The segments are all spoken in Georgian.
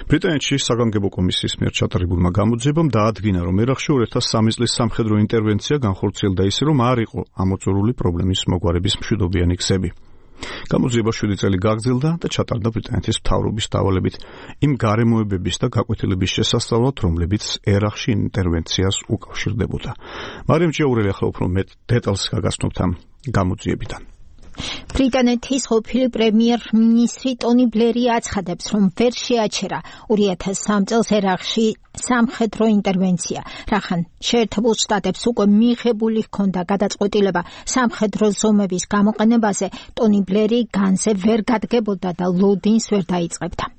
ბრიტანეთში საგანგებო კომისიის მიერ ჩატარებულმა გამოძიებამ დაადგინა, რომ ერაყში 2003 წლის სამხედრო ინტერვენცია განხორციელდა ისე, რომ არ იყო ამოწურული პრობლემის მოგვარების მშვიდობიანი გზები. გამოძიება 7 წელი გაგრძელდა და ჩატარდა ბრიტანეთის მთავრობის დავალებით იმ გარემოებების და გაკვეთილების შესასწავლად, რომლებიც ერაყში ინტერვენციას უკავშირდებოდა. მარიამ ჭიაურელი ახლა უფრო მეტ დეტალს გაგაცნობთ ამ გამოძიებიდან. ბრიტანეთის ყოფილი პრემიერ-მინისტრი ტონი ბლერი აცხადებს, რომ ვერ შეაჩერა 2003 წელს ერაყში სამხედრო ინტერვენცია, რახან შეერთებულ შტატებს უკვე მიღებული ჰქონდა გადაწყვეტილება სამხედრო ზომების გამოყენებაზე, ტონი ბლერი განზე ვერ გადგებოდა და ლოდინს ვერ დაიწყებდა.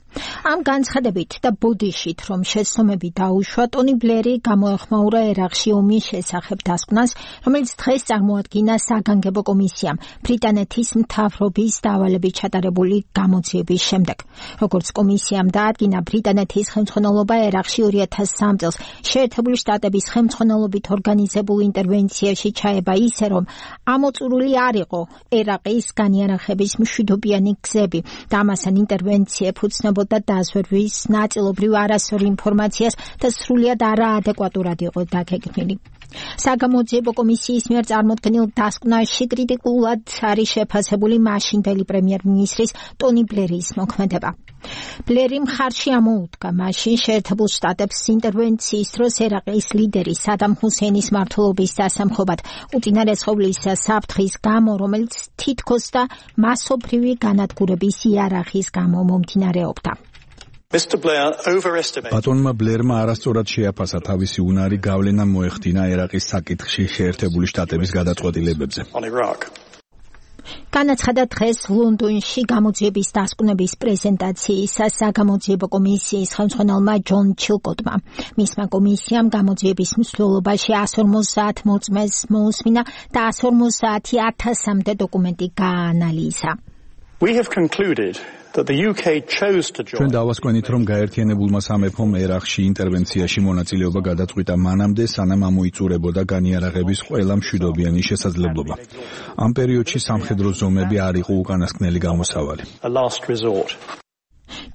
ამ განცხადებით და ბოდიშით, რომ შეცდომები დაუშვა, ტონი ბლერი გამოეხმაურა ერაყში ომის შესახებ დასკვნას, რომელიც დღეს წარმოადგინა საგანგებო კომისიამ ბრიტანეთის მთავრობის დავალებით ჩატარებული გამოძიების შემდეგ. როგორც კომისიამ დაადგინა, ბრიტანეთის ხელმძღვანელობა ერაყში 2003 წელს შეერთებული შტატების ხელმძღვანელობით ორგანიზებულ ინტერვენციაში ჩაება ისე, რომ ამოწურული არ იყო ერაყის განიარაღების მშვიდობიანი გზები და ამასთან ინტერვენცია ეფუძნებოდა და დაზვერვის ნაწილობრივ არასწორ ინფორმაციას და სრულიად არაადეკვატურად იყო დაგეგმილი. საგამოძიებო კომისიის მიერ წარმოდგენილ დასკვნაში კრიტიკულად არის შეფასებული მაშინდელი პრემიერ-მინისტრის ტონი ბლერის მოქმედება. ბლერი მხარში ამოუდგა მაშინ შეერთებულ შტატებს ინტერვენციის დროს ერაყის ლიდერი სადამ ჰუსეინის მმართველობის დასამხობად უწინარესხობლის საფრთხის გამო, რომელიც თითქოს და მასობრივი განადგურების იარაღის გამო მომდინარეობდა. ბატონმა ბლერმა არასწორად შეაფასა თავისი უნარი გავლენა მოეხდინა ერაყის საკითხში შეერთებული შტატების გადაწყვეტილებებზე. განაცხადა დღეს ლონდონში გამოძიების დასკვნების პრეზენტაციისას საგამოძიებო კომისიის ხელმძღვანელმა ჯონ ჩილკოტმა. მისმა კომისიამ გამოძიების მსვლელობაში 150 მოწმეს მოусმინა და 150,000-მდე დოკუმენტი გააანალიზა. ჩვენ დავასკვენით, რომ გაერთიანებულმა სამეფომ ერაყში ინტერვენციაში მონაწილეობა გადაწყვიტა მანამდე, სანამ ამოიწურებოდა განიარაღების ყველა მშვიდობიანი შესაძლებლობა. ამ პერიოდში სამხედრო ზომები არ იყო უკანასკნელი გამოსავალი.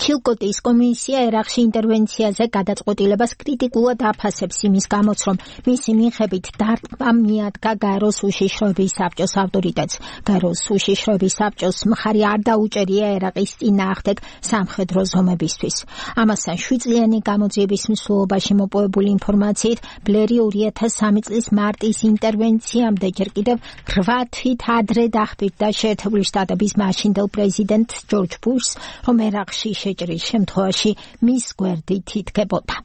ჩილკოტის კომისია ერაყში ინტერვენციაზე გადაწყვეტილებას კრიტიკულად აფასებს იმის გამოც, რომ მისი მიხედვით დარტყმამ მიადგა გაეროს უშიშროების საბჭოს ავტორიტეტს. გაეროს უშიშროების საბჭოს მხარი არ დაუჭერია ერაყის წინააღმდეგ სამხედრო ზომებისთვის. ამასთან 7 წლიანი გამოძიების მსვლელობაში მოპოვებული ინფორმაციით, ბლერი 2003 წლის მარტის ინტერვენციამდე ჯერ კიდევ 8 თვით ადრე დახბირდა შეერთებული შტატების მაშინდელ პრეზიდენტ ჯორჯ ბუშს, რომ ერაყში შეჭრის შემთხვევაში მის გვერდით იდგებოდა.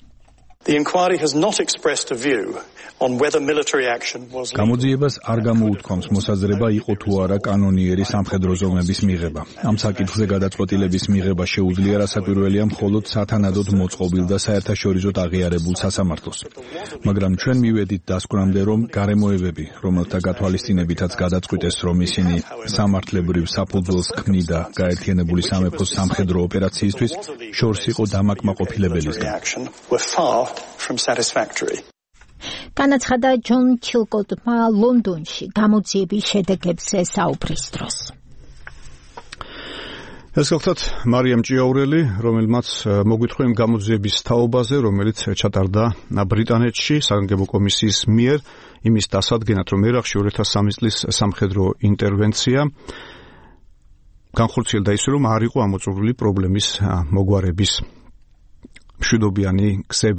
გამოძიებას არ გამოუთქვამს მოსაზრება იყო თუ არა კანონიერი სამხედრო ზომების მიღება. ამ საკითხზე გადაწყვეტილების მიღება შეუძლია რასაკვირველია მხოლოდ სათანადოდ მოწყობილ და საერთაშორისოდ აღიარებულ სასამართლოს. მაგრამ ჩვენ მივედით დასკვნამდე, რომ გარემოებები, რომელთა გათვალისწინებითაც გადაწყვიტეს, რომ ისინი სამართლებრივ საფუძველს ქმნიდა გაერთიანებული სამეფოს სამხედრო ოპერაციისთვის, შორს იყო დამაკმაყოფილებელისგან. განაცხადა ჯონ ჩილკოტმა ლონდონში გამოძიების შედეგებზე საუბრის დროს. ეს გახლავთ მარიამ ჭიაურელი, რომელმაც მოგვითხრა იმ გამოძიების თაობაზე, რომელიც ჩატარდა ბრიტანეთში საგანგებო კომისიის მიერ იმის დასადგენად, რომ ერაყში 2003 წლის სამხედრო ინტერვენცია განხორციელდა ისე, რომ არ იყო ამოწურული პრობლემის მოგვარების მშვიდობიანი გზები.